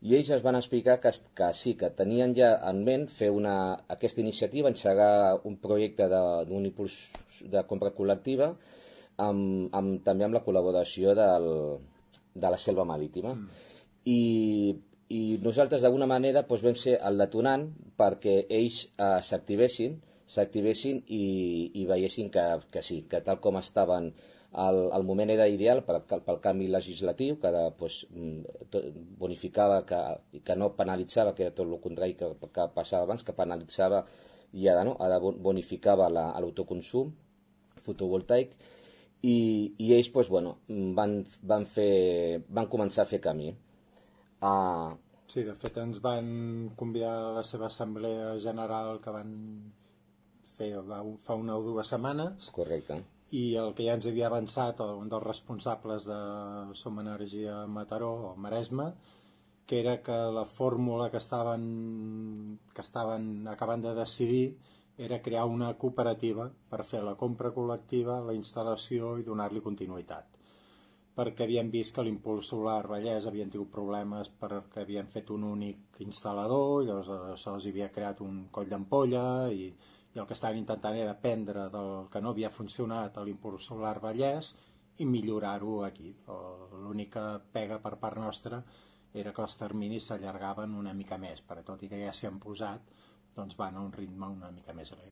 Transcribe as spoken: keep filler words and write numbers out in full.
i ells es van explicar que, que sí, que tenien ja en ment fer una, aquesta iniciativa, engegar un projecte d'un impuls de compra col·lectiva amb, amb, també amb la col·laboració del, de la Selva Marítima. Mm. I, i nosaltres d'alguna manera doncs, vam ser el detonant perquè ells eh, s'activessin s'activessin i, i veiessin que, que sí, que tal com estaven el, el moment era ideal pel, pel canvi legislatiu, que de, pues, tot, bonificava, que, que no penalitzava, que era tot el contrari que, que passava abans, que penalitzava i ara, no? Ara bonificava l'autoconsum fotovoltaic i, i ells pues, bueno, van, van, fer, van començar a fer camí. Uh, sí, de fet ens van convidar a la seva assemblea general que van fer fa una o dues setmanes. Correcte. I el que ja ens havia avançat un dels responsables de Som Energia Mataró o Maresme, que era que la fórmula que estaven, que estaven acabant de decidir era crear una cooperativa per fer la compra col·lectiva, la instal·lació i donar-li continuïtat. Perquè havien vist que l'Impuls Solar Vallès havien tingut problemes perquè havien fet un únic instal·lador, llavors això els havia creat un coll d'ampolla i i el que estaven intentant era prendre del que no havia funcionat a l'Impuls Solar Vallès i millorar-ho aquí. L'única pega per part nostra era que els terminis s'allargaven una mica més, per tot i que ja s'hi han posat, doncs van a un ritme una mica més lent.